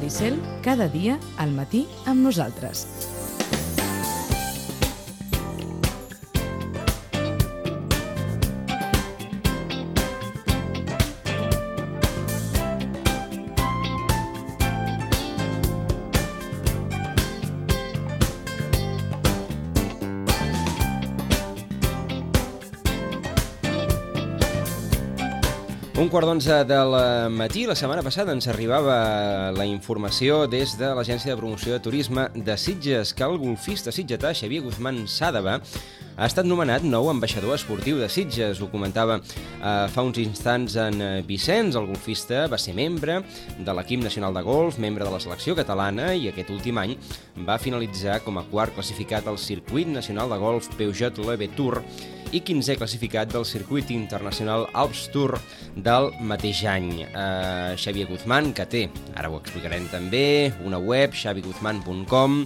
Maricel, cada dia al matí amb nosaltres. Un quart d'11 del matí, la setmana passada ens arribava la informació des de l'Agència de Promoció de Turisme de Sitges que el golfista sitgetà Xavier Guzmán Sàdava ha estat nomenat nou ambaixador esportiu de Sitges. Ho comentava fa uns instants en Vicenç. El golfista va ser membre de l'equip nacional de golf, membre de la selecció catalana i aquest últim any va finalitzar com a quart classificat al circuit nacional de golf Peugeot Leve Tour i 15è classificat del circuit internacional Alps Tour del mateix any. Xavier Guzmán, que té, ara ho explicarem també, una web, xaviguzman.com,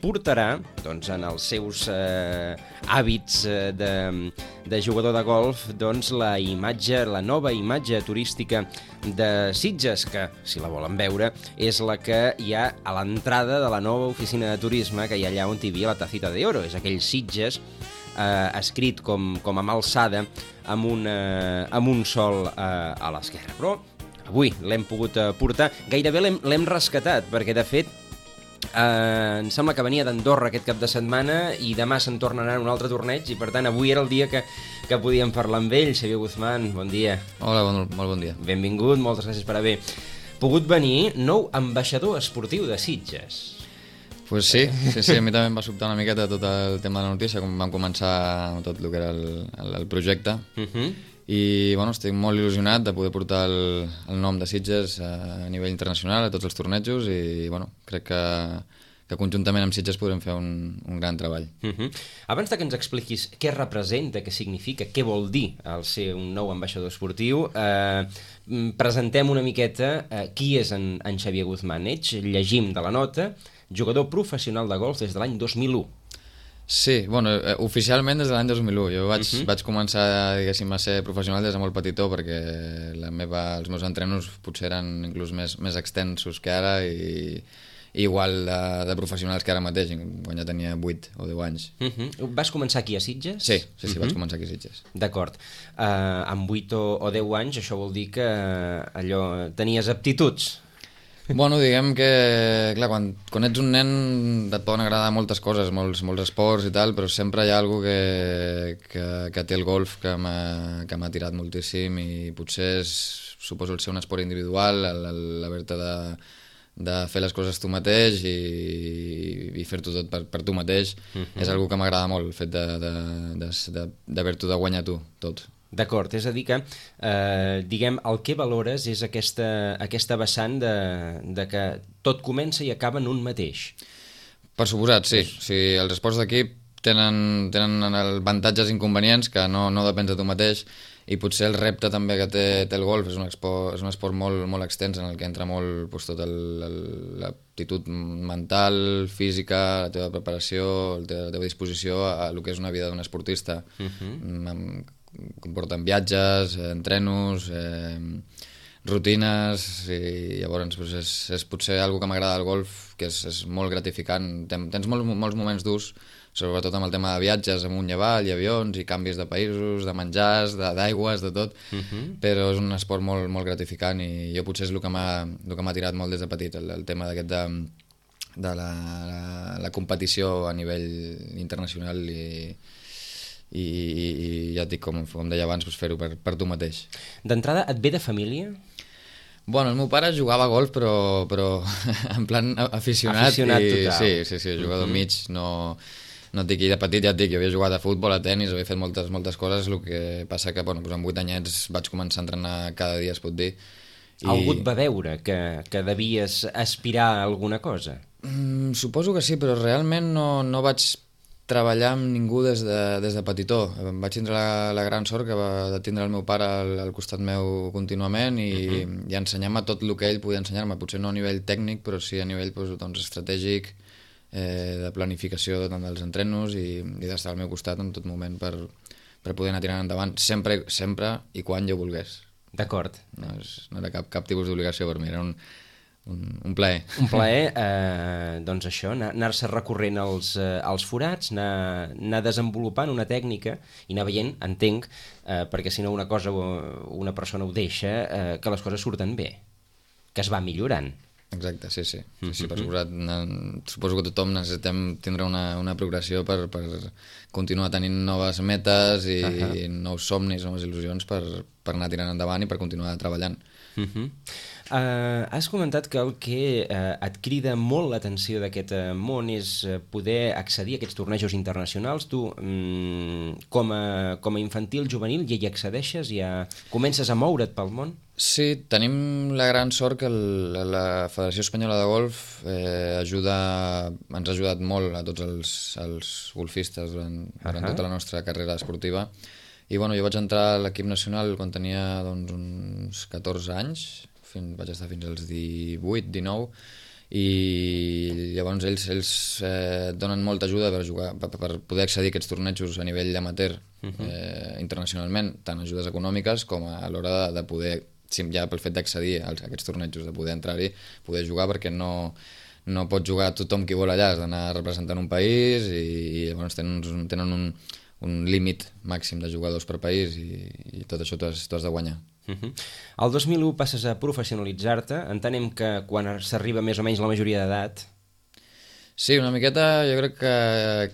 portarà doncs, en els seus hàbits de jugador de golf doncs, la nova imatge turística de Sitges, que, si la volen veure, és la que hi ha a l'entrada de la nova oficina de turisme que hi ha allà on hi havia la Tacita de Oro. És aquell Sitges escrit com amb alçada amb un sol a l'esquerra. Però avui l'hem pogut portar, gairebé l'hem rescatat, perquè de fet em sembla que venia d'Andorra aquest cap de setmana i demà se'n tornarà un altre torneig i per tant avui era el dia que podíem parlar amb ell. Xavier Guzmán, bon dia. Hola, molt bon dia. Benvingut, moltes gràcies per haver pogut venir. Nou ambaixador esportiu de Sitges. Pues sí, a mi també em va sobtar una miqueta tot el tema de la notícia, com vam començar tot el que era el projecte. I bueno, estic molt il·lusionat de poder portar el nom de Sitges a nivell internacional, a tots els tornejos, i bueno, crec que conjuntament amb Sitges podrem fer un gran treball. Abans de que ens expliquis què representa, què significa, què vol dir el ser un nou ambaixador esportiu, presentem una miqueta qui és en Xavier Guzmán. Llegim de la nota: jugador professional de golf des de l'any 2001. Sí, bueno, oficialment des de l'any 2001. Jo vaig començar, diguéssim, a ser professional des de molt petitó, perquè els meus entrenos potser eren inclús més extensos que ara i igual de professionals que ara mateix, quan ja tenia 8 o 10 anys. Vas començar aquí a Sitges? Sí, vaig començar aquí a Sitges. D'acord. Amb 8 o 10 anys, això vol dir que allò tenies aptituds? Bueno, diguem que, clar, quan ets un nen et poden agradar moltes coses, molts esports i tal, però sempre hi ha alguna que té el golf que m'ha tirat moltíssim i potser suposo el ser un esport individual, l'haver-te de fer les coses tu mateix i fer-t'ho tot per tu mateix, és una que m'agrada molt, el fet d'haver-t'ho de guanyar tu, tot. D'acord, és a dir que, diguem, el que valores és aquesta vessant de que tot comença i acaba en un mateix. Per suposat, sí. Els esports d'equip tenen avantatges i inconvenients que no depèn de tu mateix, i potser el repte també que té el golf és un esport molt extens en el que entra molt tota l'aptitud mental, física, la teva preparació, la teva disposició a el que és una vida d'un esportista. Comporten viatges, entrenos, rutines, i llavors és potser una que m'agrada del golf, que és molt gratificant. Tens molts moments durs, sobretot amb el tema de viatges amunt i avall, i avions, i canvis de països, de menjars, d'aigües, de tot, però és un esport molt gratificant, i jo potser és el que m'ha tirat molt des de petit, el tema d'aquest de la competició a nivell internacional i ja et dic, com deia abans, fer-ho per tu mateix. D'entrada, et ve de família? Bueno, el meu pare jugava a golf, però en plan aficionat total. Sí, jugador mig, no et dic, i de petit ja et dic, jo havia jugat a futbol, a tennis, havia fet moltes coses, el que passa que amb 8 anyets vaig començar a entrenar cada dia, es pot dir. Algú et va veure que devies aspirar a alguna cosa? Suposo que sí, però realment no vaig treballar amb ningú des de petitó. Vaig tindre la gran sort de tindre el meu pare al costat meu contínuament i ensenyar-me tot el que ell podia ensenyar-me, potser no a nivell tècnic, però sí a nivell estratègic, de planificació dels entrenos i d'estar al meu costat en tot moment per poder anar tirant endavant sempre i quan jo volgués. D'acord. No era cap tipus d'obligació per mi, era un plaer. Un plaer, doncs això, anar-se recorrent als forats, anar desenvolupant una tècnica i anar veient, entenc, perquè si no una cosa una persona ho deixa, que les coses surten bé, que es va millorant. Exacte, sí. Sí, per suposat, suposo que tothom necessitem tindre una progressió per continuar tenint noves metes i nous somnis, noves il·lusions per anar tirant endavant i per continuar treballant. Has comentat que el que et crida molt l'atenció d'aquest món és poder accedir a aquests tornejos internacionals. Tu, com a infantil, juvenil, ja hi accedeixes? Ja comences a moure't pel món? Sí, tenim la gran sort que la Federació Espanyola de Golf ens ha ajudat molt a tots els golfistes durant tota la nostra carrera esportiva. I bueno, jo vaig entrar a l'equip nacional quan tenia uns 14 anys, vaig estar fins als 18, 19, i llavors ells donen molta ajuda per poder accedir a aquests tornejos a nivell amateur internacionalment, tant ajudes econòmiques com a l'hora de poder, ja pel fet d'accedir a aquests tornejos, de poder entrar-hi, poder jugar, perquè no pot jugar tothom qui vol allà, has d'anar representant un país i llavors tenen un límit màxim de jugadors per país i tot això t'ho has de guanyar. El 2001 passes a professionalitzar-te, entenem que quan s'arriba més o menys la majoria d'edat. Sí, una miqueta, jo crec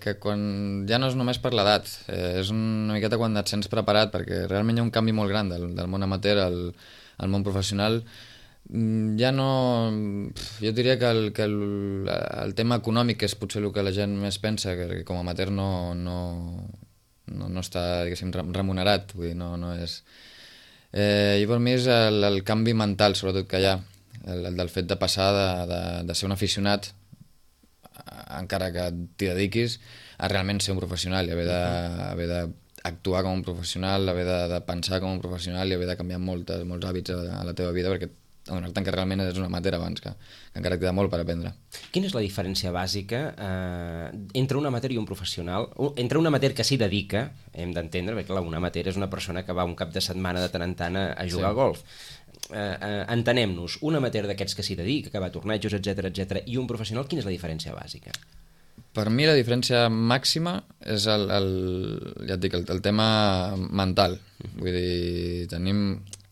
que quan ja no és només per l'edat, és una miqueta quan et sents preparat, perquè realment hi ha un canvi molt gran del món amateur al món professional. Ja no... Jo diria que el tema econòmic és potser el que la gent més pensa, que com a amateur no està, diguéssim, remunerat, vull dir, no és... I per mi és el canvi mental, sobretot, que hi ha, el del fet de passar de ser un aficionat, encara que t'hi dediquis, a realment ser un professional i haver d'actuar com un professional, haver de pensar com un professional i haver de canviar molts hàbits a la teva vida, perquè adonar-te'n que realment és un amateur abans, que encara queda molt per aprendre. Quina és la diferència bàsica entre un amateur i un professional? Entre un amateur que s'hi dedica, hem d'entendre, perquè un amateur és una persona que va un cap de setmana de tant en tant a jugar a golf. Entenem-nos, un amateur d'aquests que s'hi dedica, que va a tornejos, etc, i un professional, quina és la diferència bàsica? Per mi la diferència màxima és ja et dic, el tema mental. Vull dir,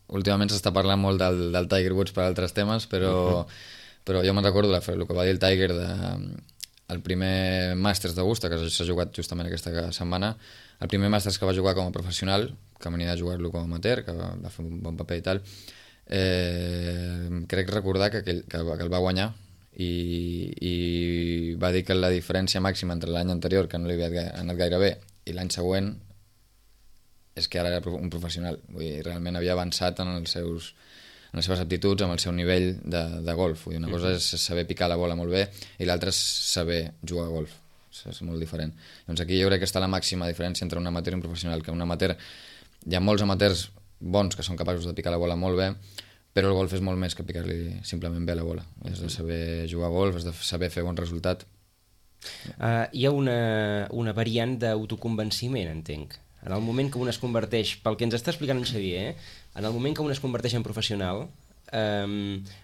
últimament s'està parlant molt del Tiger Woods per altres temes, però jo me'n recordo el que va dir el Tiger el primer Masters d'Augusta, que s'ha jugat justament aquesta setmana, el primer Masters que va jugar com a professional, que venia de jugar-lo com a amateur, que va fer un bon paper i tal, crec recordar que el va guanyar i va dir que la diferència màxima entre l'any anterior, que no li havia anat gaire bé, i l'any següent, és que ara era un professional. Vull dir, realment havia avançat en les seves aptituds, amb el seu nivell de golf. Vull dir, una cosa és saber picar la bola molt bé i l'altra és saber jugar a golf. És molt diferent. Doncs aquí jo crec que està la màxima diferència entre un amateur i un professional, que un amateur, hi ha molts amateurs bons que són capaços de picar la bola molt bé, però el golf és molt més que picar-li simplement bé la bola. Has de saber jugar a golf, has de saber fer bon resultat. Hi ha una variant d'autoconvenciment, entenc. En el moment que un es converteix, pel que ens està explicant en Xavier, en el moment que un es converteix en professional,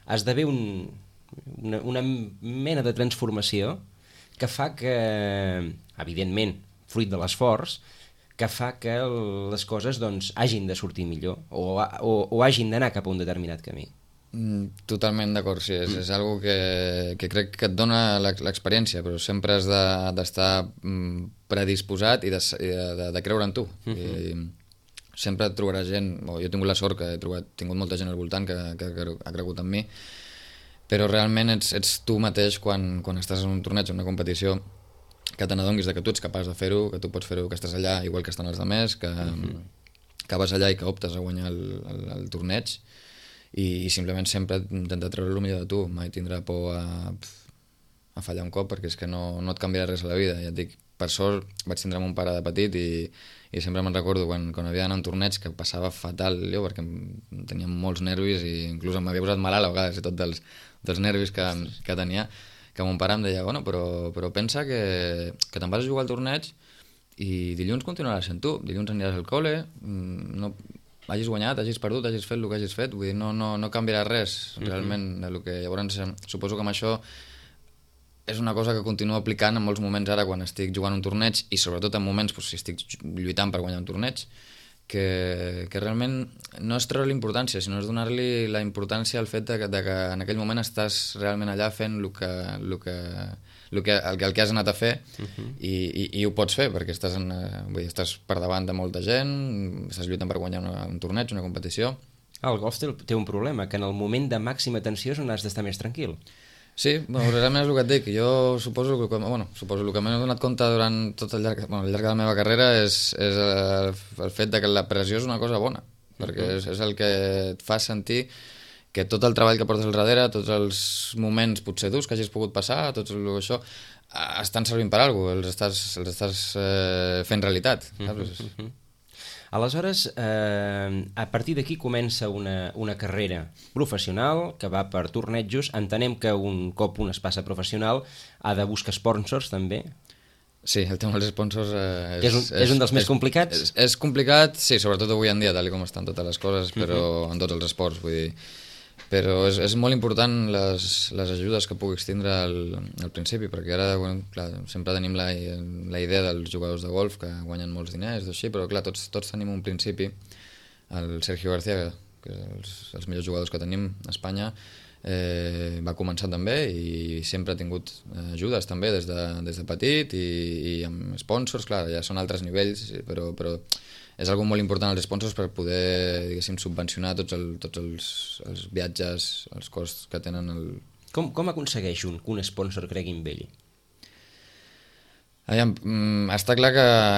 esdevé una mena de transformació que fa que, evidentment, fruit de l'esforç, que fa que les coses doncs, hagin de sortir millor o hagin d'anar cap a un determinat camí. Totalment d'acord, sí, és algo que crec que et dona l'experiència, però sempre has d'estar predisposat i de creure en tu. I sempre et trobaràs gent, jo he tingut la sort que he tingut molta gent al voltant que ha cregut en mi, però realment ets tu mateix quan estàs en un torneig, en una competició, que te n'adonis que tu ets capaç de fer-ho, que tu pots fer-ho, que estàs allà igual que estan els altres, que vas allà i que optes a guanyar el torneig, i simplement sempre intentar treure el millor de tu, mai tindrà por a fallar un cop, perquè és que no et canviarà res a la vida. Ja et dic, per sort vaig tindre mon pare de petit i sempre me'n recordo quan havia d'anar a un torneig que passava fatal jo, perquè tenia molts nervis i inclús m'havia posat malalt a vegades tot dels nervis que tenia, que mon pare em deia, bueno, però pensa que te'n vas a jugar al torneig i dilluns continuaràs sent tu, dilluns aniràs al cole, hagis guanyat, hagis perdut, hagis fet el que hagis fet, vull dir, no canviarà res realment del que... Llavors, suposo que amb això és una cosa que continuo aplicant en molts moments ara quan estic jugant un torneig i sobretot en moments si estic lluitant per guanyar un torneig, que realment no és treure l'importància, sinó és donar-li la importància al fet de que en aquell moment estàs realment allà fent el que has anat a fer i ho pots fer perquè estàs per davant de molta gent, estàs lluitant per guanyar un torneig, una competició. El golf té un problema, que en el moment de màxima tensió és on has d'estar més tranquil. Sí, realment és el que et dic. Jo suposo que el que m'he donat compte durant tot al llarg de la meva carrera és el fet de que la pressió és una cosa bona, perquè és el que et fa sentir que tot el treball que portes al darrere, tots els moments potser durs que hagis pogut passar, tot això, estan servint per alguna cosa, els estàs fent realitat, saps? Aleshores, a partir d'aquí comença una carrera professional que va per tornejos. Entenem que un cop un es passa professional ha de buscar sponsors també. Sí, el tema dels sponsors... és un dels més complicats? És complicat, sí, sobretot avui en dia, tal com estan totes les coses, però en tots els esports, vull dir... Però és molt important les ajudes que puguis tindre al principi, perquè ara, clar, sempre tenim la idea dels jugadors de golf que guanyen molts diners, així, però clar, tots tenim un principi. El Sergio García, que és els millors jugadors que tenim a Espanya, va començar també i sempre ha tingut ajudes també des de petit i amb sponsors, clar, ja són altres nivells, però és algo molt important els sponsors per poder, diguéssim, subvencionar tots els viatges, els costs que tenen Com aconsegueix que un sponsor cregui en ell? Està clar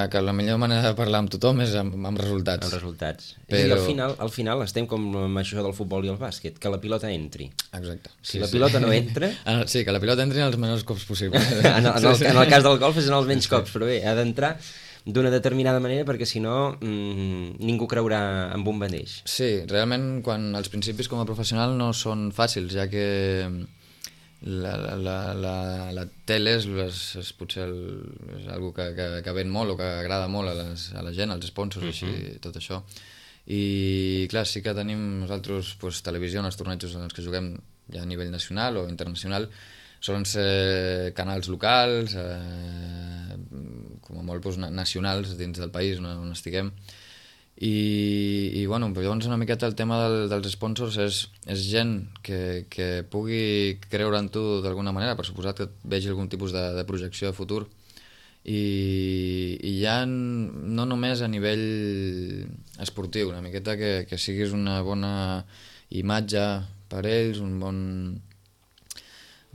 que la millor manera de parlar amb tothom és amb resultats. Amb resultats. Però... al final estem com amb això del futbol i el bàsquet, que la pilota entri. Exacte. Si la pilota no entra... Sí, que la pilota entri en els menors cops possibles. En el cas del golf és en els menys cops, però bé, ha d'entrar d'una determinada manera perquè si no ningú creurà en un mateix. Sí, realment quan els principis com a professional no són fàcils, ja que la tele és potser és algo que ven molt o que agrada molt a la gent, als sponsors, així, tot això. I clar, sí que tenim nosaltres televisió en els tornejos en els que juguem ja a nivell nacional o internacional, solen ser canals locals, com a molt nacionals dins del país on estiguem. I bueno, llavors una miqueta el tema dels sponsors és gent que pugui creure en tu d'alguna manera, per suposat que vegi algun tipus de projecció de futur, i ja no només a nivell esportiu, una miqueta que siguis una bona imatge per ells, un bon...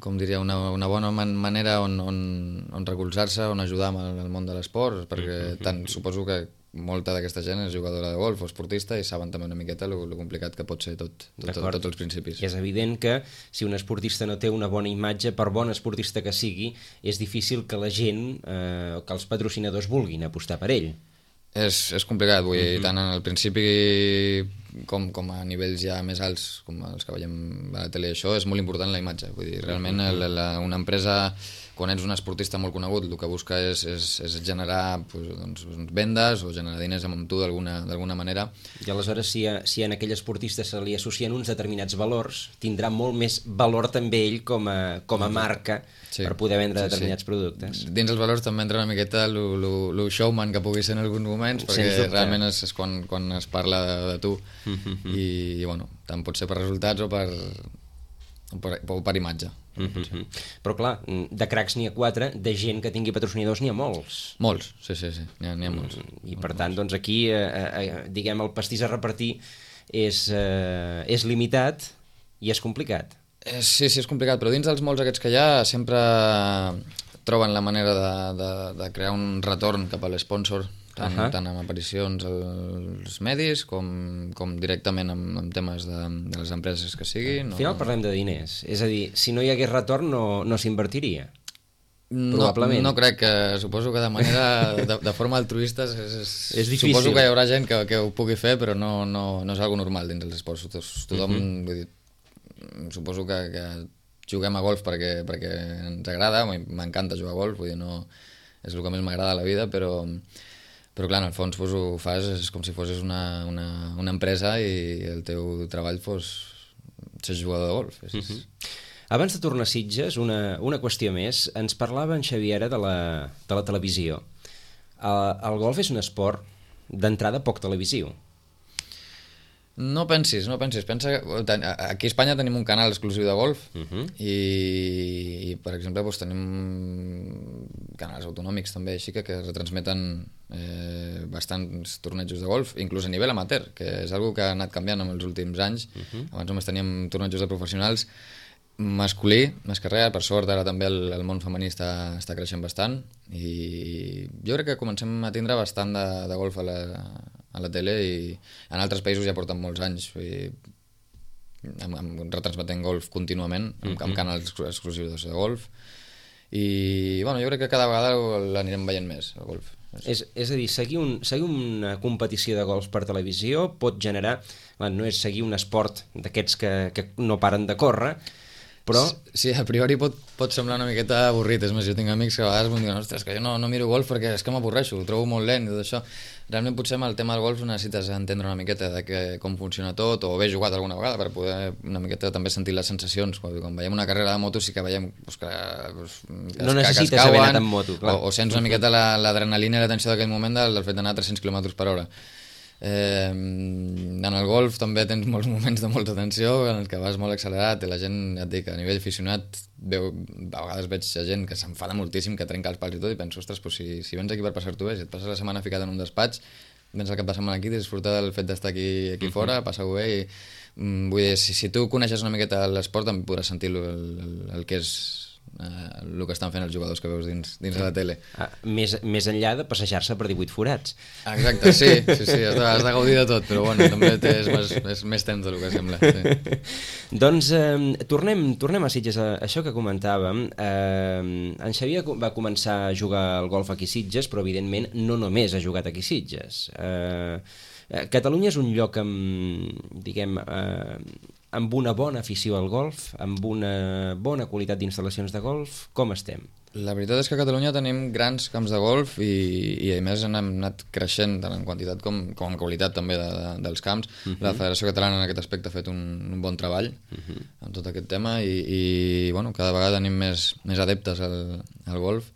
com diria, una bona manera on recolzar-se, on ajudar amb el món de l'esport, perquè suposo que molta d'aquesta gent és jugadora de golf o esportista i saben també una miqueta el complicat que pot ser tots els principis. És evident que si un esportista no té una bona imatge, per bon esportista que sigui, és difícil que la gent, que els patrocinadors vulguin apostar per ell. És complicat, vull dir, tant en el principi com a nivells ja més alts, com els que veiem a la tele, això és molt important la imatge. Vull dir, realment una empresa, quan ets un esportista molt conegut, el que busca és generar vendes o generar diners amb tu d'alguna manera. I aleshores, si a aquell esportista se li associen uns determinats valors, tindrà molt més valor també ell com a marca per poder vendre determinats productes. Dins els valors també entra una miqueta el showman que pugui ser en alguns moments, perquè realment és quan es parla de tu. I bueno, tant pot ser per resultats o per imatge. Però clar, de cracs n'hi ha 4, de gent que tingui patrocinadors n'hi ha molts. Molts, sí, n'hi ha molts. I per tant, doncs aquí, diguem, el pastís a repartir és limitat i és complicat. Sí, és complicat, però dins dels molts aquests que hi ha sempre troben la manera de crear un retorn cap a l'esponsor, tant amb aparicions als medis com directament amb temes de les empreses que siguin. Al final parlem de diners, és a dir, si no hi hagués retorn no s'invertiria. Probablement. No crec, que suposo que de manera de forma altruista és difícil. Suposo que hi haurà gent que ho pugui fer, però no és algo normal dins els esports. Tothom, vull dir, suposo que juguem a golf perquè ens agrada, m'encanta jugar a golf, vull dir, no és el que més m'agrada a la vida, però Però clar, en el fons ho fas, és com si fossis una empresa i el teu treball fos ser jugador de golf. Abans de tornar a Sitges, una qüestió més. Ens parlava en Xaviera de la televisió. El golf és un esport d'entrada poc televisiu. No pensis. Pensa que aquí a Espanya tenim un canal exclusiu de golf i per exemple, doncs, tenim canals autonòmics també així que retransmeten bastants tornejos de golf, inclús a nivell amateur, que és una que ha anat canviant en els últims anys. Abans només teníem tornejos de professionals masculí, més que res. Per sort ara també el món femení està creixent bastant i jo crec que comencem a tindre bastant de golf a la tele i en altres països ja porten molts anys retransmetent golf contínuament amb canals exclusius de golf i bueno, jo crec que cada vegada l'anirem veient més el golf. És a dir, seguir una competició de golf per televisió pot generar, no és seguir un esport d'aquests que no paren de córrer, però... Sí, a priori pot semblar una miqueta avorrit. És més, jo tinc amics que a vegades em diuen ostres, que jo no miro golf perquè és que m'avorreixo, ho trobo molt lent i tot això. Realment potser amb el tema del golf necessites entendre una miqueta de com funciona tot o haver jugat alguna vegada per poder una miqueta també sentir les sensacions. Quan veiem una carrera de moto sí que veiem que no necessites haver anat en moto, clar. O sents una miqueta l'adrenalina i la tensió d'aquell moment del fet d'anar a 300 km/h. En el golf també tens molts moments de molta tensió en el que vas molt accelerat i la gent, ja et dic, a nivell aficionat a vegades veig gent que s'enfada moltíssim, que trenca els pals i tot i penso, ostres, doncs si vens aquí per passar-t'ho bé, si et passes la setmana ficat en un despatx, vens el cap de setmana aquí, disfrutar del fet d'estar aquí fora, passar-ho bé i vull dir, si tu coneixes una miqueta l'esport també podràs sentir el que és el que estan fent els jugadors que veus dins de la tele. Més enllà de passejar-se per 18 forats. Exacte, sí, has de gaudir de tot, però bueno, també és més temps del que sembla. Sí. Doncs tornem a Sitges, això que comentàvem. En Xavier va començar a jugar al golf aquí a Sitges, però evidentment no només ha jugat aquí a Sitges. Catalunya és un lloc amb una bona afició al golf, amb una bona qualitat d'instal·lacions de golf. Com estem? La veritat és que a Catalunya tenim grans camps de golf i a més hem anat creixent tant en quantitat com en qualitat també dels camps. La Federació Catalana en aquest aspecte ha fet un bon treball en tot aquest tema i bueno, cada vegada tenim més adeptes al golf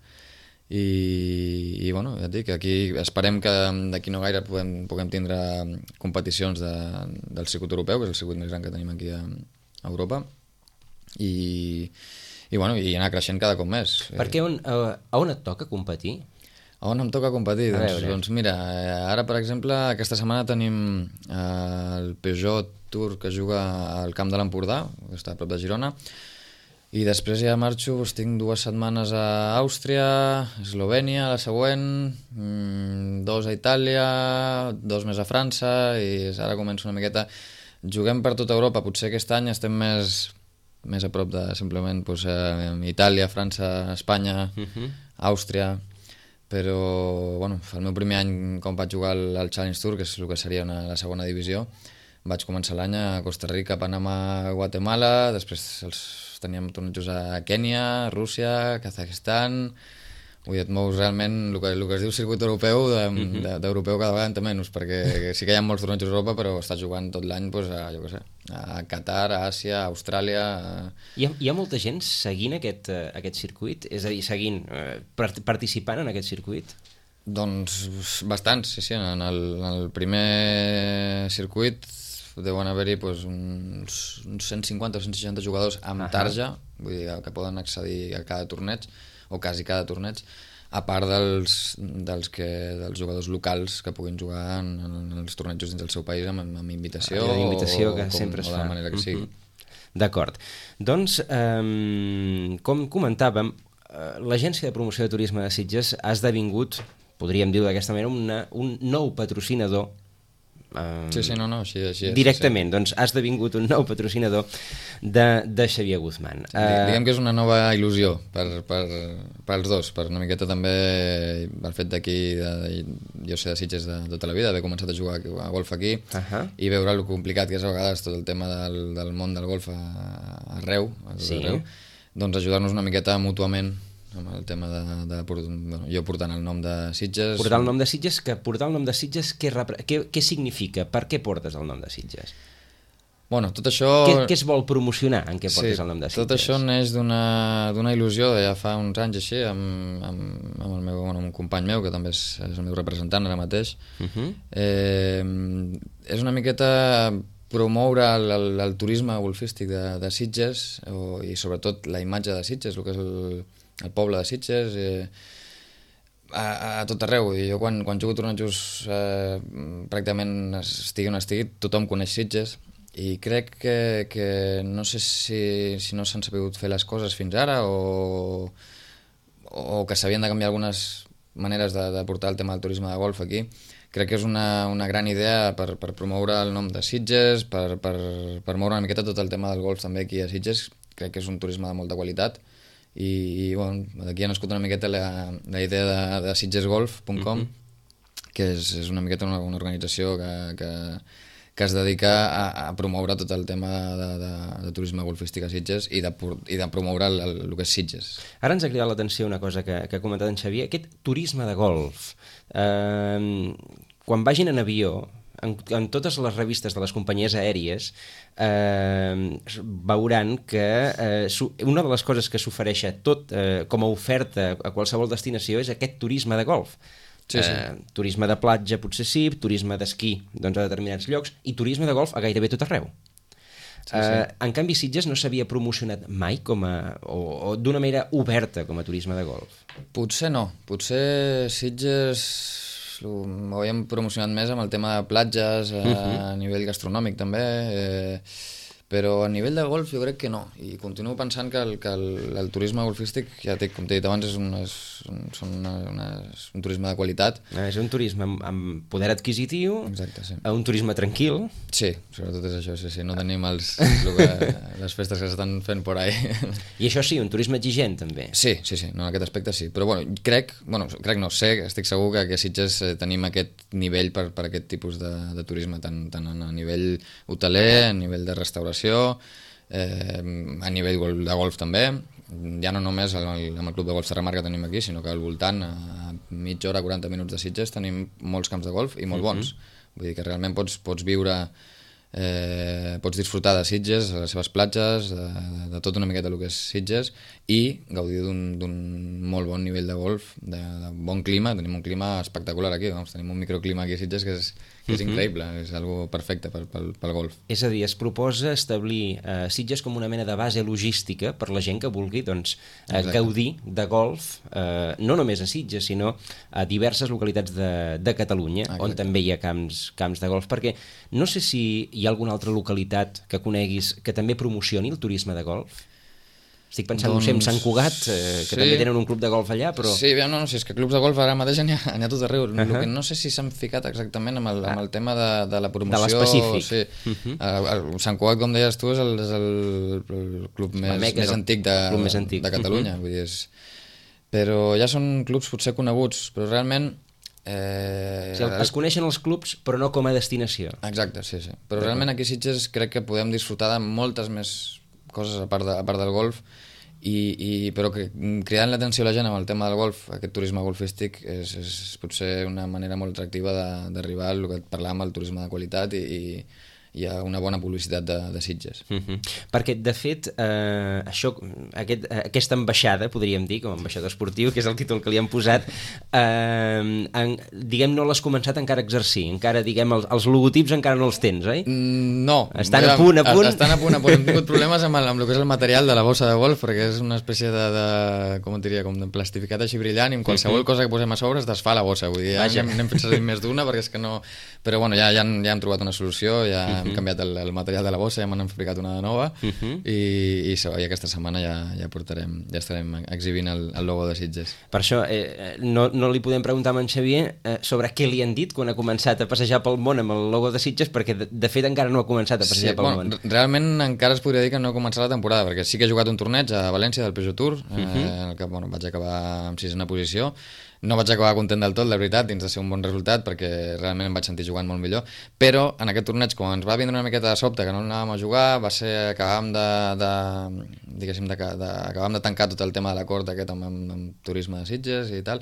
i bueno, ja et dic, aquí esperem que d'aquí no gaire puguem tindre competicions del circuit europeu, que és el circuit més gran que tenim aquí a Europa i bueno, i anar creixent cada cop més. Perquè a on et toca competir? A on em toca competir? Doncs mira, ara per exemple aquesta setmana tenim el Peugeot Tour que juga al Camp de l'Empordà, que està a prop de Girona, i després ja marxo, tinc 2 setmanes a Àustria, Eslovènia, la següent, 2 a Itàlia, 2 més a França, i ara començo una miqueta. Juguem per tota Europa, potser aquest any estem més a prop de simplement Itàlia, França, Espanya, Àustria, però bueno, el meu primer any com vaig jugar al Challenge Tour, que és el que seria la segona divisió, vaig començar l'any a Costa Rica, Panamà, Guatemala, després teníem tornejos a Kènia, Rússia, Kazakhstan. Vull dir, et mous realment el que es diu circuit europeu, d'europeu cada vegada en té menys, perquè sí que hi ha molts tornejos a Europa, però estàs jugant tot l'any jo què sé, a Qatar, a Àsia, a Austràlia... Hi ha molta gent seguint aquest circuit? És a dir, participant en aquest circuit? Doncs bastants, sí. En el primer circuit deuen haver-hi uns 150 o 160 jugadors amb tarja, vull dir que poden accedir a cada torneig, o quasi cada torneig, a part dels jugadors locals que puguin jugar en els tornejos dins del seu país amb invitació que sempre es fa. O de la manera que sigui. D'acord. Doncs, com comentàvem, l'Agència de Promoció de Turisme de Sitges ha esdevingut, podríem dir d'aquesta manera, un nou patrocinador. Sí, així és. Directament, doncs ha esdevingut un nou patrocinador de Xavier Guzmán. Diguem que és una nova il·lusió per als dos, per una miqueta també el fet d'aquí, jo sé de Sitges de tota la vida, haver començat a jugar a golf aquí i veure el complicat que és a vegades tot el tema del món del golf arreu, doncs ajudar-nos una miqueta mútuament amb el tema jo portant el nom de Sitges. Portar el nom de Sitges, què significa? Per què portes el nom de Sitges? Bueno, tot això... Què es vol promocionar en què portes el nom de Sitges? Tot això neix d'una il·lusió de ja fa uns anys així, amb un company meu, que també és el meu representant ara mateix. És una miqueta promoure el turisme golfístic de Sitges i sobretot la imatge de Sitges, el que és el poble de Sitges, a tot arreu. Jo quan jugo tornejos pràcticament estigui on estigui, tothom coneix Sitges. I crec que no sé si no s'han sabut fer les coses fins ara o que s'havien de canviar algunes maneres de portar el tema del turisme de golf aquí. Crec que és una gran idea per promoure el nom de Sitges, per moure una miqueta tot el tema del golf també aquí a Sitges. Crec que és un turisme de molta qualitat i bueno, d'aquí ha nascut una miqueta la idea de sitgesgolf.com, que és una miqueta una organització que es dedica a promoure tot el tema de turisme golfístic a Sitges i de promoure el que és Sitges. Ara ens ha cridat l'atenció una cosa que ha comentat en Xavier, aquest turisme de golf. Quan vagin en avió, en totes les revistes de les companyies aèries, veuran que una de les coses que s'ofereix com a oferta a qualsevol destinació és aquest turisme de golf. Sí. Turisme de platja potser sí, turisme d'esquí a determinats llocs i turisme de golf a gairebé tot arreu. Sí. En canvi Sitges no s'havia promocionat mai o d'una manera oberta com a turisme de golf. Potser no, potser Sitges ho havíem promocionat més amb el tema de platges, a nivell gastronòmic també, però a nivell de golf jo crec que no, i continuo pensant que el turisme golfístic, ja com t'he dit abans, és un turisme de qualitat. És un turisme amb poder adquisitiu. Exacte, sí. Un turisme tranquil. Sí, sobretot és això, sí. No tenim les festes que s'estan fent por ahí. I això sí, un turisme exigent també. Sí, en aquest aspecte sí, però estic segur que a Sitges tenim aquest nivell per aquest tipus de turisme, tant a nivell hoteler, a nivell de restauració, a nivell de golf també, ja no només amb el Club de Golf Terramar que tenim aquí, sinó que al voltant, a mitja hora, 40 minuts de Sitges, tenim molts camps de golf i molt bons. Vull dir que realment pots viure, pots disfrutar de Sitges, de les seves platges, de tot una miqueta el que és Sitges, i gaudir d'un molt bon nivell de golf, de bon clima. Tenim un clima espectacular aquí, tenim un microclima aquí a Sitges que és increïble, és algo perfecte pel golf. És a dir, es proposa establir Sitges com una mena de base logística per la gent que vulgui gaudir de golf, no només a Sitges, sinó a diverses localitats de Catalunya. Exacte. On també hi ha camps de golf, perquè no sé si hi ha alguna altra localitat que coneguis que també promocioni el turisme de golf. Estic pensant, no sé, en Sant Cugat, que també tenen un club de golf allà, però... Sí, és que clubs de golf ara mateix n'hi ha tot arreu. El que no sé si s'han ficat exactament amb el tema de la promoció... De l'específic. Sí. Sant Cugat, com deies tu, és el club més antic de Catalunya. Vull dir, però ja són clubs potser coneguts, però realment... Es coneixen els clubs, però no com a destinació. Exacte, sí. Però realment aquí a Sitges crec que podem disfrutar de moltes més coses a part del golf, però que cridant l'atenció a la gent amb el tema del golf, aquest turisme golfístic, és potser una manera molt atractiva d'arribar al que parlàvem, el turisme de qualitat, i hi ha una bona publicitat de Sitges. Perquè, de fet, aquesta ambaixada, podríem dir, com a ambaixador esportiu, que és el títol que li han posat, diguem, no l'has començat encara a exercir, encara, diguem, els logotips encara no els tens, oi? No. Estan a punt. Estan a punt. Hem tingut problemes amb el que és el material de la bossa de golf, perquè és una espècie com et diria, com de plastificat així brillant, i amb qualsevol cosa que posem a sobre es desfà la bossa. Vull dir, ja n'hem fet servir més d'una, perquè és que no... Però bueno, ja hem trobat una solució, ja hem canviat el material de la bossa, ja m'han fabricat una de nova, i aquesta setmana ja estarem exhibint el logo de Sitges. Per això no li podem preguntar a en Xavier sobre què li han dit quan ha començat a passejar pel món amb el logo de Sitges, perquè de fet encara no ha començat a passejar pel món. Realment encara es podria dir que no ha començat la temporada, perquè sí que he jugat un torneig a València del Peugeot Tour, en el que vaig acabar en 6ena posició. No vaig acabar content del tot, la veritat, dins de ser un bon resultat, perquè realment em vaig sentir jugant molt millor, però en aquest torneig, quan ens va vindre una miqueta de sobte que no anàvem a jugar, va ser que acabàvem de tancar tot el tema de l'acord aquest amb turisme de Sitges i tal.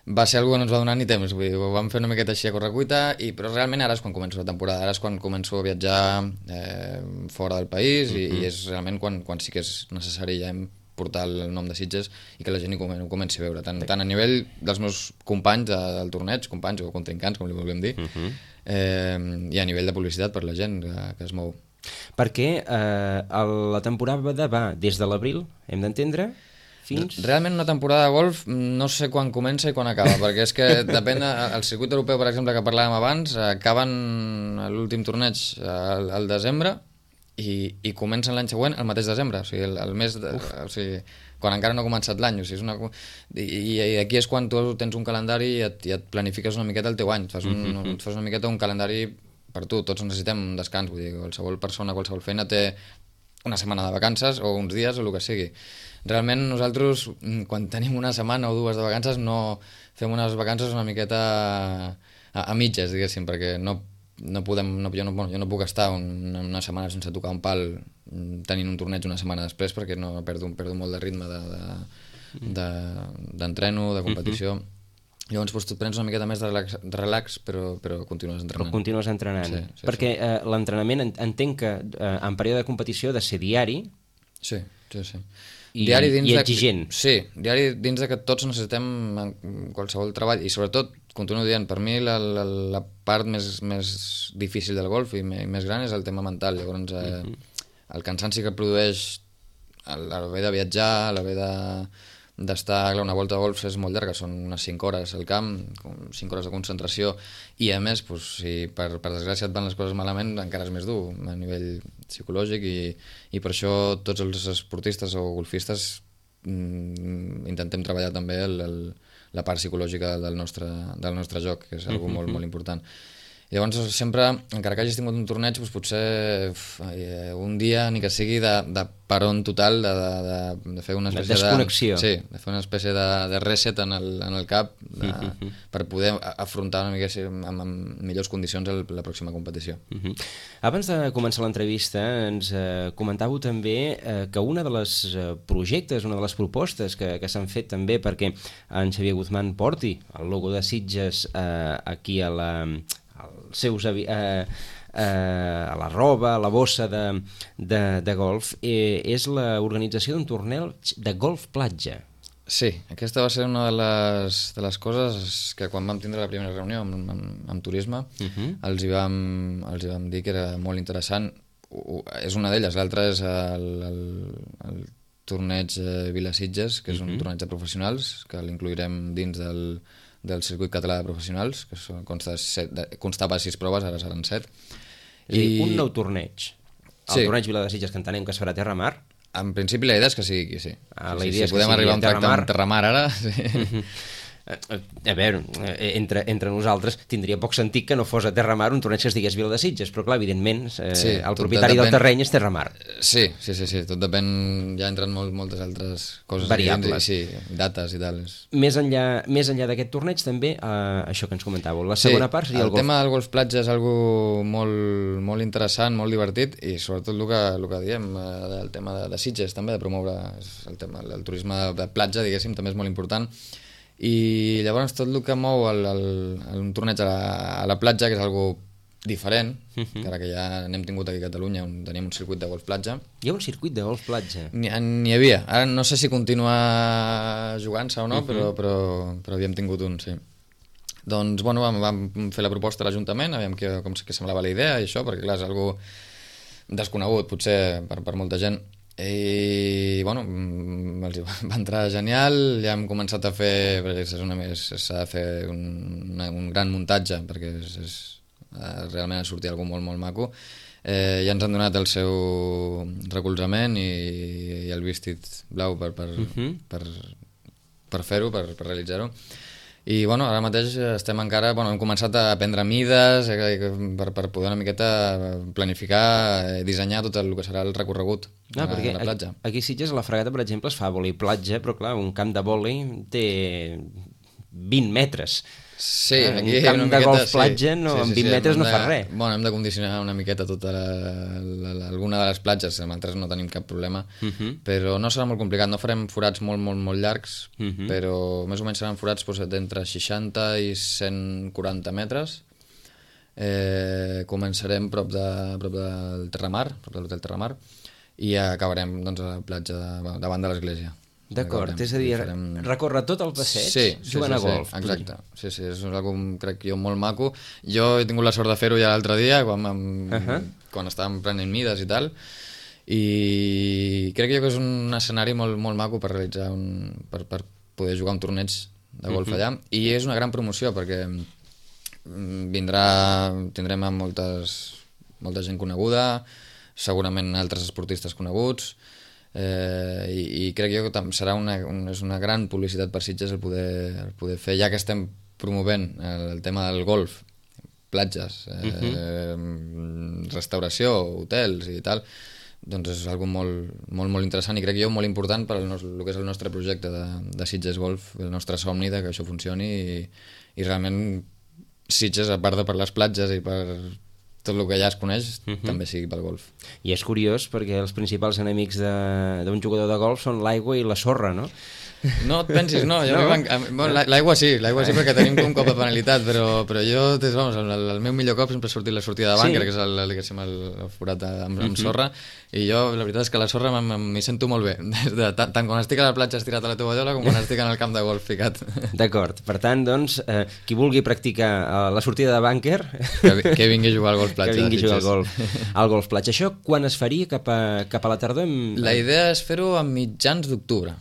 Va ser algo que no ens va donar ni temps, vull dir, ho vam fer una miqueta així a correcuita, però realment ara és quan començo la temporada, ara és quan començo a viatjar fora del país i és realment quan sí que és necessari ja portar el nom de Sitges i que la gent ho comenci a veure, tant a nivell dels meus companys del torneig, companys o contrincants, com li vulguem dir, i a nivell de publicitat per la gent que es mou. Perquè la temporada va des de l'abril, hem d'entendre, fins... Realment una temporada de golf no sé quan comença i quan acaba, perquè és que depèn del circuit europeu, per exemple, que parlàvem abans, acaben l'últim torneig al desembre i comencen l'any següent el mateix desembre, o sigui, el mes o sigui, quan encara no ha començat l'any, o sigui, i aquí és quan tu tens un calendari i et planifiques una miqueta el teu any, et fas una miqueta un calendari per tu, tots necessitem un descans, vull dir, qualsevol persona, qualsevol feina té una setmana de vacances o uns dies o el que sigui. Realment nosaltres, quan tenim una setmana o dues de vacances, no fem unes vacances una miqueta a mitges, diguéssim, perquè jo no puc estar una setmana sense tocar un pal tenint un torneig una setmana després, perquè no perdo molt de ritme d'entreno, de competició. Llavors tu prens una miqueta més de relax, però continues entrenant. Però continues entrenant. Sí, perquè l'entrenament entenc que en període de competició ha de ser diari. Sí. I exigent. Sí, diari dins de que tots necessitem qualsevol treball i sobretot, continuo dient, per mi la part més difícil del golf i més gran és el tema mental. Llavors el cansanci que produeix a l'haver de viatjar, a l'haver d'estar... Una volta de golf és molt llarga, són unes 5 hores al camp, 5 hores de concentració, i a més, si per desgràcia et van les coses malament, encara és més dur a nivell psicològic, i per això tots els esportistes o golfistes intentem treballar també la part psicològica del nostre joc, que és una cosa molt, molt important. Llavors sempre, encara que hagis tingut un torneig, doncs potser un dia, ni que sigui de paron total, de fer una espècie de desconnexió. Sí, de fer una espècie de reset en el cap per poder afrontar una mica amb millors condicions la pròxima competició. Abans de començar l'entrevista ens comentàveu també que una de les projectes, una de les propostes que s'han fet també perquè en Xavier Guzmán porti el logo de Sitges aquí a la roba, a la bossa de golf, és l'organització d'un torneig de golf platja. Sí, aquesta va ser una de les coses que quan vam tindre la primera reunió amb turisme els hi vam dir que era molt interessant. És una d'elles, l'altra és el torneig Vila Sitges, que és un torneig de professionals, que l'incluirem dins del circuit català de professionals, que constava 6 proves, ara seran 7. I un nou torneig. El torneig Vila de Sitges, que entenem que es farà a terra mar. En principi la idea és que sigui aquí, sí. La idea és si podem arribar a un tracte amb terramar ara... Sí. A veure, entre nosaltres tindria poc sentit que no fos a terramar un torneig que es digués Vila de Sitges, però clar, evidentment el propietari del terreny és terramar. Sí, tot depèn, ja entren moltes altres coses variables, sí, dates i tal. Més enllà d'aquest torneig també això que ens comentàveu, la segona part seria el golf. El tema del golf platja és algo molt, molt interessant, molt divertit, i sobretot el que diem del tema de Sitges també, de promoure el turisme de platja, diguéssim, també és molt important. I llavors tot el que mou un torneig a la platja, que és algo diferent, que ara que ja n'hem tingut aquí a Catalunya, on tenim un circuit de golf platja. Hi ha un circuit de golf platja? N'hi havia, ara no sé si continua jugant-se o no, però havíem tingut un, sí. Doncs bueno, vam fer la proposta a l'Ajuntament, aviam com semblava la idea i això, perquè clar, és algo desconegut potser per molta gent. I bueno, els va entrar genial, ja hem començat a fer, perquè s'ha de fer un gran muntatge, perquè realment ha sortit alguna molt, molt maco. Ja ens han donat el seu recolzament i el vestit blau per fer-ho, per realitzar-ho. I bueno, ara mateix estem encara, hem començat a prendre mides per poder una miqueta planificar, dissenyar tot el que serà el recorregut a la platja. Aquí a Sitges, a la Fragata, per exemple, es fa vòlei platja, però clar, un camp de vòlei té 20 metres. Sí, aquí un camp de golf platja amb 20 metres no fa res. Bueno, hem de condicionar una miqueta tota alguna de les platges, amb altres no tenim cap problema, però no serà molt complicat, no farem forats molt llargs, però més o menys seran forats d'entre 60 i 140 metres. Començarem prop del Terramar, prop de l'hotel Terramar, i acabarem a la platja davant de l'església. D'acord, és a dir, recórrer tot el passeig jugant a golf. Exacte, sí, és una cosa, crec jo, molt maco. Jo he tingut la sort de fer-ho ja l'altre dia, quan estàvem prenent mides i tal, i crec jo que és un escenari molt maco per realitzar per poder jugar un torneig de golf allà, i és una gran promoció perquè tindrem molta gent coneguda, segurament altres esportistes coneguts, i crec jo que serà és una gran publicitat per Sitges el poder fer, ja que estem promovent el tema del golf, platges, restauració, hotels i tal, doncs és algo molt interessant i crec jo molt important per el que és el nostre projecte de Sitges Golf, el nostre somni de que això funcioni i realment Sitges, a part de per les platges i per tot el que ja es coneix, també sigui pel golf. I és curiós perquè els principals enemics d'un jugador de golf són l'aigua i la sorra, no? No et pensis, no. L'aigua sí perquè tenim un cop de penalitat, però jo, el meu millor cop sempre ha sortit la sortida de bànquer, que és el forat amb sorra, i jo la veritat és que la sorra m'hi sento molt bé, tant quan estic a la platja estirat a la tovallola com quan estic en el camp de golf ficat. D'acord, per tant, doncs, qui vulgui practicar la sortida de bànquer... Que vingui a jugar al golf platja. Que vingui a jugar al golf platja. Això quan es faria cap a la tardor? La idea és fer-ho a mitjans d'octubre.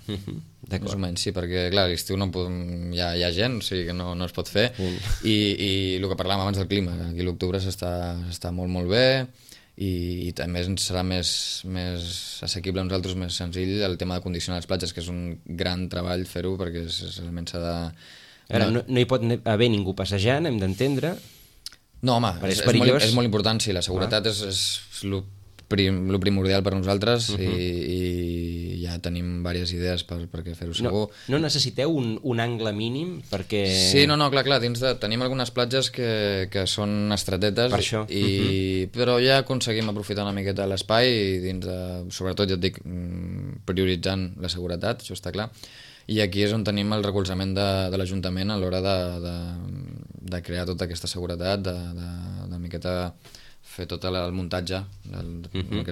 Més o menys, sí, perquè clar, a l'estiu hi ha gent, o sigui que no es pot fer, i el que parlàvem abans del clima, aquí a l'octubre s'està molt bé, i també serà més assequible a nosaltres, més senzill el tema de condicionar les platges, que és un gran treball fer-ho, perquè realment s'ha de... No hi pot haver ningú passejant, hem d'entendre. No, home, és molt important, sí, la seguretat és el primordial per nosaltres, i ja tenim diverses idees perquè fer-ho segur. No necessiteu un angle mínim perquè... Sí, clar, tenim algunes platges que són estretetes, per això. Però ja aconseguim aprofitar una miqueta l'espai, sobretot, ja et dic, prioritzant la seguretat, això està clar, i aquí és on tenim el recolzament de l'Ajuntament a l'hora de crear tota aquesta seguretat, de miqueta fer tot el muntatge pel que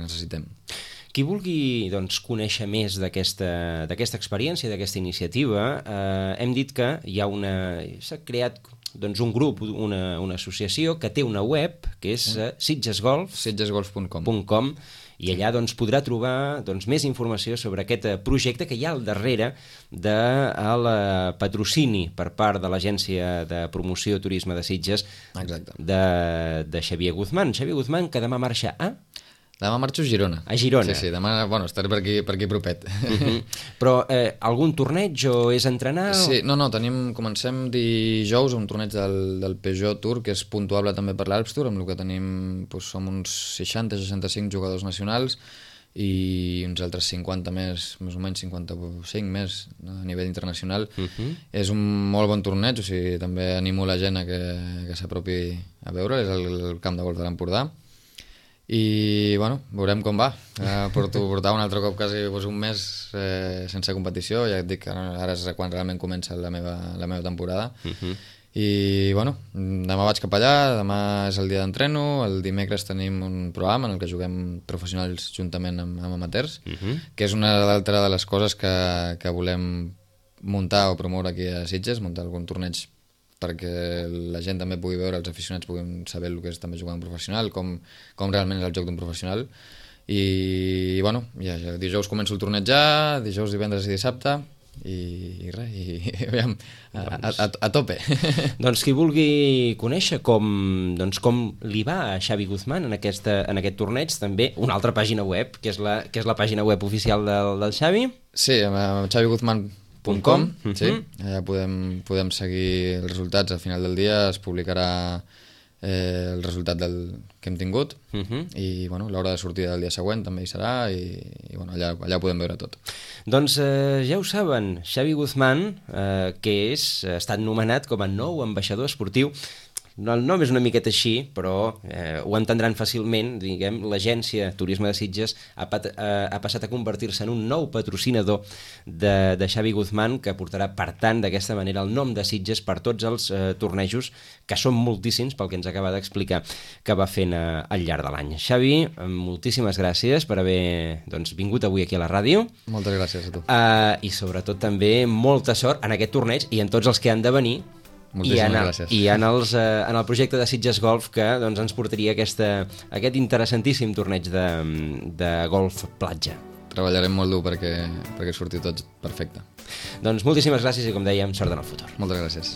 necessitem. Qui vulgui conèixer més d'aquesta experiència, d'aquesta iniciativa, hem dit que s'ha creat un grup, una associació que té una web, que és sitgesgolf.com, i allà podrà trobar més informació sobre aquest projecte que hi ha al darrere del patrocini per part de l'Agència de Promoció Turisme de Sitges de Xavier Guzmán. Xavier Guzmán, que demà marxa a... Demà marxo a Girona. A Girona. Sí, demà, estaré per aquí propet. Però algun torneig o és entrenar? Sí, comencem dijous un torneig del Peugeot Tour, que és puntuable també per l'Alps Tour, amb el que tenim, som uns 60-65 jugadors nacionals i uns altres 50 més o menys 55 més a nivell internacional. És un molt bon torneig, o sigui, també animo la gent a que s'apropi a veure, és el camp de golf de l'Empordà. I veurem com va. Portar un altre cop quasi un mes sense competició, ja et dic que ara és quan realment comença la meva temporada. I demà vaig cap allà, demà és el dia d'entreno, el dimecres tenim un programa en el que juguem professionals juntament amb amateurs, que és una altra de les coses que volem muntar o promoure aquí a Sitges, muntar algun torneig perquè la gent també pugui veure, els aficionats puguin saber el que és també jugar un professional, com realment és el joc d'un professional. I dijous començo el torneig ja, dijous, divendres i dissabte, i aviam, a tope. Doncs qui vulgui conèixer com li va a Xavi Guzmán en aquest torneig, també una altra pàgina web, que és la pàgina web oficial del Xavi. Sí, xaviguzman.com, sí. Allà podem seguir els resultats. Al final del dia es publicarà el resultat que hem tingut i bueno, l'hora de sortida del dia següent també hi serà i bueno, allà ho podem veure tot. Doncs ja ho saben, Xavi Guzmán, que ha estat nomenat com a nou ambaixador esportiu. El nom és una miqueta així, però ho entendran fàcilment. Diguem, l'agència Turisme de Sitges ha passat a convertir-se en un nou patrocinador de Xavi Guzmán, que portarà, per tant, d'aquesta manera el nom de Sitges per tots els tornejos, que són moltíssims, pel que ens acaba d'explicar, que va fent al llarg de l'any. Xavi, moltíssimes gràcies per haver vingut avui aquí a la ràdio. Moltes gràcies a tu. I sobretot també molta sort en aquest torneig i en tots els que han de venir. Gràcies. I en el projecte de Sitges Golf, que ens portaria aquest interessantíssim torneig de golf platja. Treballarem molt dur perquè surti tot perfecte. Doncs moltíssimes gràcies i, com dèiem, sort en el futur. Moltes gràcies.